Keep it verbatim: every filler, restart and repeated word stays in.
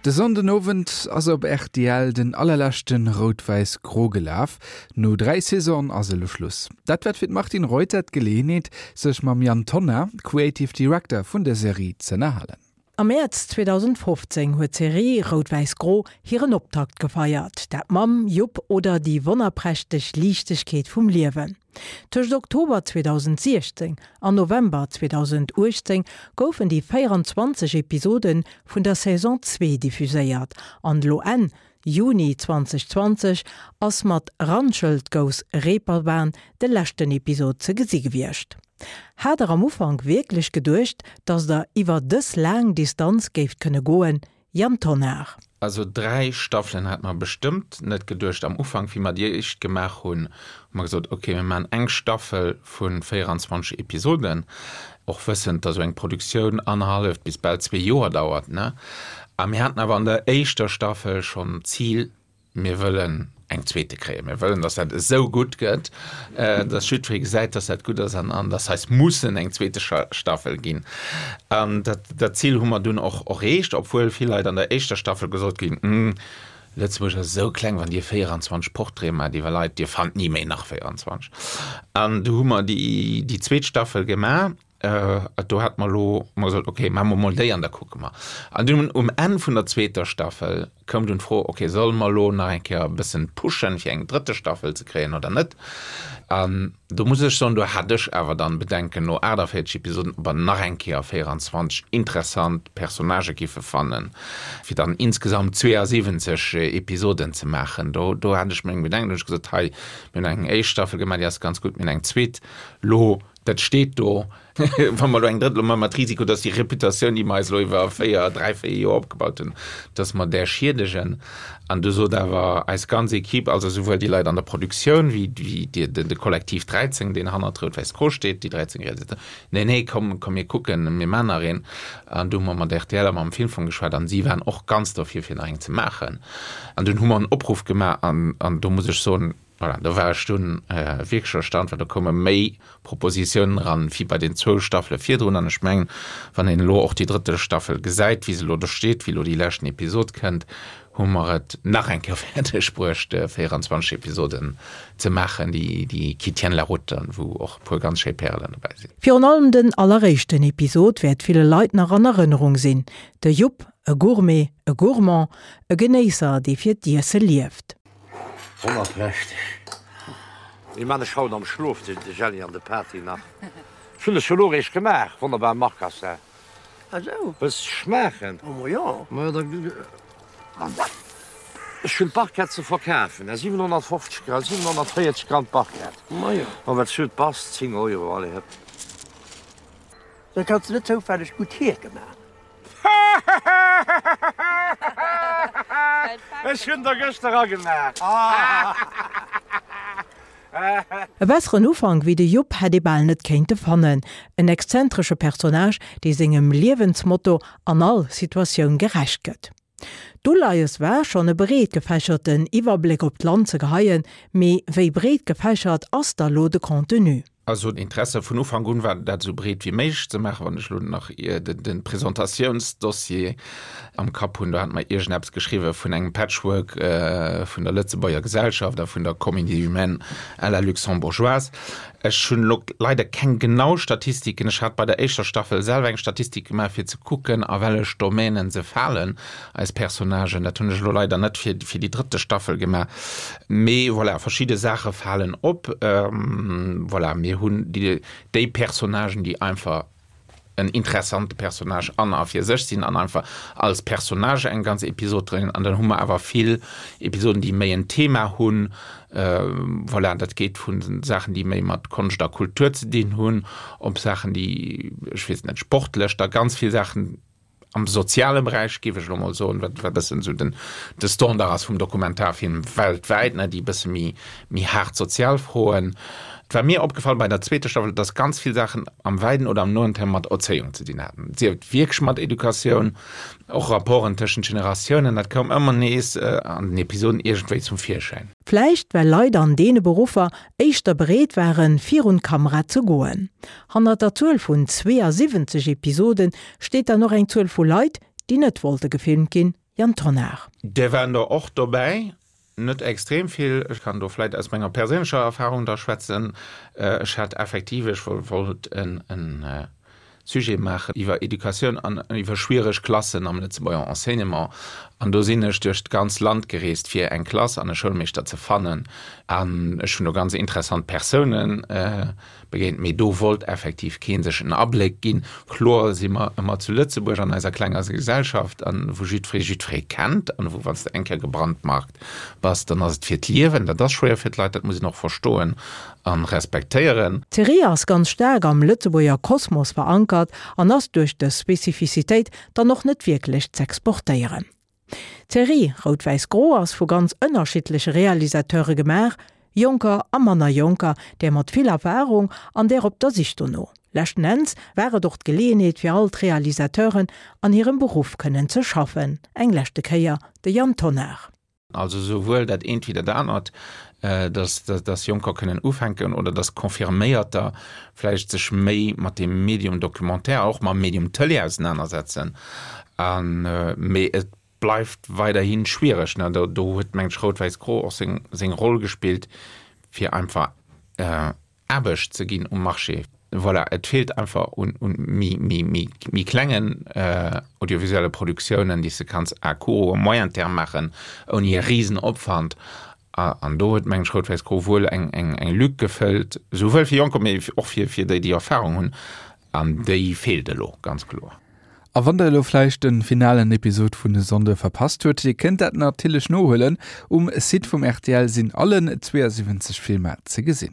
De Sonnden Owend ass op R T L den allerleschten Rout-Wäiss-Gro gelaf. No dräi Saisonen ass elo Schluss. Dat war fir Martine Reuter d'Geleeënheet, sech mam Yann Tonnar, Creative Director vun der Serie, z'ënnerhalen. Am Mäerz zweedausendfofzéng huet d'Serie Rout-Wäiss-Gro hiren Optakt gefeiert. Dat mam Jupp oder déi wonnerprächteg Liichtegkeet vum Liewen. Tëscht Oktober zweedausendsiechzéng an November zweedausenduechtzéng goufen déi véierenzwanzeg Episode vun der Saison zwee diffuséiert. An lo Enn Juni zweedausendzwanzeg ass mat Randschelt goes Reeperbahn de leschten Episod ze gesi gewiescht. Hat der am Ufank wierklech geduecht, dass der iwwer dës laang Distanz géift kënne goen, Yann Tonnar? Also dräi Staffelen hat mer bestëmmt net geduecht am Ufank, wéi mer déi éischt gemaach hunn, hu mer gesot, okay, mir maachen eng Staffel vu véierenzwanzeg Episoden, och wëssend, dass esou eng Produktioun annerhalleft bis bal zwee Joer dauert, ne? A mir haten awer an der éischter Staffel schonn d'Zil, mir wëllen eng zweete kréien, mir wëllen, dass dat esou gutt gëtt, dass jiddweree gesäit, dass dat gutt ass an an dass eis mussen eng zweete Staffel ginn. An dat dat Zil hu mer dunn och erreecht, obwuel vill Leit an der éischter Staffel gesot ginn, Hm, Lëtzebuerg ass esou kleng, wann Dir véierenzwanzeg Portraite maacht iwwer Leit, Dir fannt ni méi nach véierenzwanzeg. An du hu mer déi déi zweet Staffel gemaach. Do hate mer elo hu mer gesot, okay, maache mer mol déi an da kucke mer. An dunn um Enn vun der zweeter Staffel koum dunn d'Fro, okay, solle mer elo nach eng Kéier e bëssen pushen, fir eng drëtte Staffel ze kréien oder net? An do muss ech soen, do hat ech awer dann Bedenken no aachtavéierzeg Episoden, ob mer nach eng Kéier véierenzwanzeg interessant Personnagë giffe fannen, fir dann insgesamt zweeasiwwenzeg Episoden ze maachen. Do, do hat ech meng Bedenken, do hunn ech gesot, hei, mir hunn eng éischt Staffel gemaach, déi ass ganz gutt, mir hunn eng zweet elo, dat steet do, wa mer elo eng drëtt, elo maache mer d'Risiko, dass déi Reputatioun, déi mer eis elo iwwer véier, dräi, véier Joer opgebaut hunn, dass mer där schiedegen. An du sot awer eis ganz Equipe, also souwuel déi Leit an der Produktioun wéi déi, de Kollektiv dräizéng, deen hannert Rout-Wäiss-Gro steet, déi dräizéng Realisateuren, Nee, nee, komm, komm mir kucken, mir maachen nach een. An du hu mer mat R T L a mam Filmfong geschwat an si waren och ganz dofir, fir nach eng ze maachen. An dunn hu mer en Opruff gemaach an, an do muss ech soen, voilà, do war ech dunn wierklech erstaunt, well do koume méi Propositiounen eran, wéi bei den zwou Staffele virdrun. An ech mengen, wann een elo och déi drëtte Staffel gesäit, wéi se elo do steet, wéi elo déi leschten Episod kënnt, hu mer et nach eng Kéier fäerdeg bruecht, véierenzwanzeg Episoden ze maachen, déi, déi qui tiennent la route an wou och e puer ganz schéi Pärelen dobäi sinn. Virun allem den alleréischten Episod wäert ville Leit nach an Erënnerung sinn, de Jupp, e Gourmet, e Gourmand, e Genéisser, dee fir d'Iesse lieft. Wonnerprächteg. Déi man ech haut am Schlof, de Jelli an de Patty nach. Ech hunn e scho lo eréischt gemaach, wonnerbar Marcassin. Ah sou. Wëlls de schmaachen? Oh ma jo. Ma jo, da. Ech hunn d'Barquette ze verkafen, siwenhonnertfofzeg Gramm, siwenhonnertvéierzeg Gramm Barquette. Ma jo. Ma wat s du bass, zéng Euro, allez hëpp. Da kanns de net zoufälleg gutt Hierke maachen? Ech hunn der gëschter agemaach. E besseren Ufank wéi de Jupp hätt ee bal net kéinte fannen. En exzentresche Personnage, dee sengem Liewensmotto an all Situatioun gerecht gëtt. D'Uleies war schonn e breetgefächerten Iwwerbléck op d'Land ze geheien, mee wéi breet gefächert ass da lo de Contenu? Also Interesse vun Ufank un war, dat esou breet wéi méiglech ze maachen. Wann ech elo nach de Presentatiounsdossier am Kapp hunn, do hate mer iergendeppes geschriwwe vun engem Patchwork vun der Lëtzebuerger Gesellschaft a vun der Comédie humaine à la luxembourgeoise. Ech hunn elo leider keng genau Statistiken. Ech hat bei der éischter Staffel selwer eng Statistik gemaach, fir ze kucken, a wellech Domänen se falen, eis Personnagen. Dat hunn ech elo leider net fir déi drëtte Staffel gemaach. Mee voilà, verschidde Saache falen op. Voilà, mir hunn déi Personnagen, déi einfach en interessante Personnage an a fir sech sinn an einfach als Personnage eng ganz Episod dréinen. An dann hu mer awer vill Episoden, déi méi en Thema hunn. Voilà, dat geet vu Saachen, déi méi mat Konscht a Kultur ze dinn hunn, op Saachen, déi, ech weess net, sportlech, da ganz vill Saachen am soziale Beräich, géif ech elo mol soen, wat e bëssen esou den de Standard ass vum Dokumentarfilm weltwäit, ne, déi e bësse méi méi haart sozial Froen. Et war mir opgefall bei der zweeter Staffel, dass ganz vill Saachen am wäiten oder am noen Term mat Erzéiung ze dinn haten, sief et wierklech mat Educatioun, och Rapporten tëschent Generatiounen, dat koum ëmmer nees an den Episoden iergendwéi zum Virschäin. Vläicht well Leit an deene Beruffer éischter bereet waren, virun d'Kamera ze goen. Hannert der Zuel vun zweeasiwwenzeg Episode steet dann och eng Zuel vu Leit, déi net wollte gefilmt ginn, Yann Tonnar. Där waren der och dobäi, net extrem vill. Ech kann do vläit aus menger perséinlecher Erfahrung da schwätzen. Ech hat effektiv, ech wollt en Sujet maachen iwwer Educatioun an iwwer schwiereg Klassen am Lëtzebuerger Enseignement. An do sinn ech duerch d'ganz Land gereest, fir eng Klass an e Schoulmeeschter ze fannen. An ech hunn do ganz interessant Persounen begéint, mee do wollt effektiv kee sech en Abléck ginn. Kloer si mer ëmmer zu Lëtzebuerg an eiser klenger Gesellschaft, an wou jiddweree jiddweree kennt an wou, wann s de eng Kéier gebrandmarkt bass, dann ass et fir d'Liewen. Dat ass schwéier fir d'Leit, dat muss een och verstoen a respektéieren. D'Serie ass ganz staark am Lëtzebuerger Kosmos verankert an ass duerch dës Spezifizitéit dann och net wierklech z'exportéieren. D'Serie Rout-Wäiss-Gro ass vu ganz ënnerschiddleche Realisateure gemaach, jonker a manner jonker, där mat vill Erfarung an där op der Sich dono. Leschten Enns war et och d'Geleeënheet fir all d'Realisateuren, an hirem Beruff kënnen ze schaffen. Eng leschte Kéier de Yann Tonnar. Also souwuel dat eent wéi dat anert, dass dass Jonker kënnen ufänken oder dass Confirméierter vläicht sech méi mat dem Medium Documentaire, och mam Medium Tëlee ausenanersetzen. An, mee et bleift weiderhi schwiereg. Do do huet, mengen ech, Rout-Wäiss-Gro och seng seng Roll gespillt, fir einfach Aarbecht ze ginn um Marché. Voilà, et feelt einfach un méi klengen audiovisuelle Produktiounen, déi s de kanns à court ou à moyen terme maachen, ouni e Risenopwand. An do huet, mengen ech, Rout-Wäiss-Gro wuel eng Lück gefëllt, souwuel fir Jonker, mee och fir déi, déi Erfahrung hunn. An déi feelt elo, ganz kloer. A wann der elo vläicht de finalen Episod vun e Sonnde verpasst hutt, dir kënnt dat natierlech nohuelen, Um Site vum rtl sinn allen zweeënsiwwenzeg Filmer ze gesinn.